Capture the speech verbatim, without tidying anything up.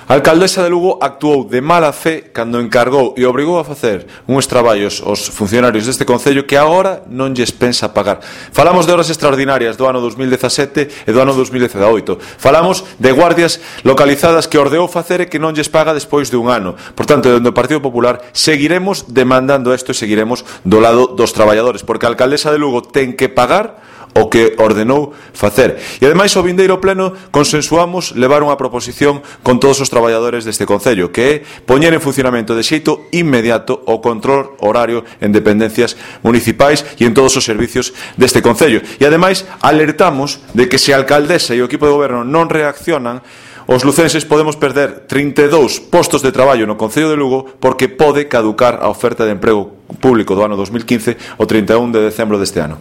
A alcaldesa de Lugo actuou de mala fe cando encargou e obrigou a facer uns traballos aos funcionarios deste concello que agora non lles pensa pagar. Falamos de horas extraordinarias do ano dos mil dezasete e do ano dos mil dezaoito. Falamos de guardias localizadas que ordeou facer e que non lles paga despois de un ano. Por tanto, dentro do Partido Popular seguiremos demandando isto e seguiremos do lado dos traballadores, porque a alcaldesa de Lugo ten que pagar o que ordenou facer. E ademais ao vindeiro pleno consensuamos levar unha proposición con todos os traballadores deste concello, que é poñer en funcionamento de xeito inmediato o control horario en dependencias municipais e en todos os servicios deste concello. E ademais alertamos de que se a alcaldesa e o equipo de goberno non reaccionan, os lucenses podemos perder trinta e dous postos de traballo no Concello de Lugo porque pode caducar a oferta de emprego público do ano dos mil quince o trinta e un de decembro deste ano.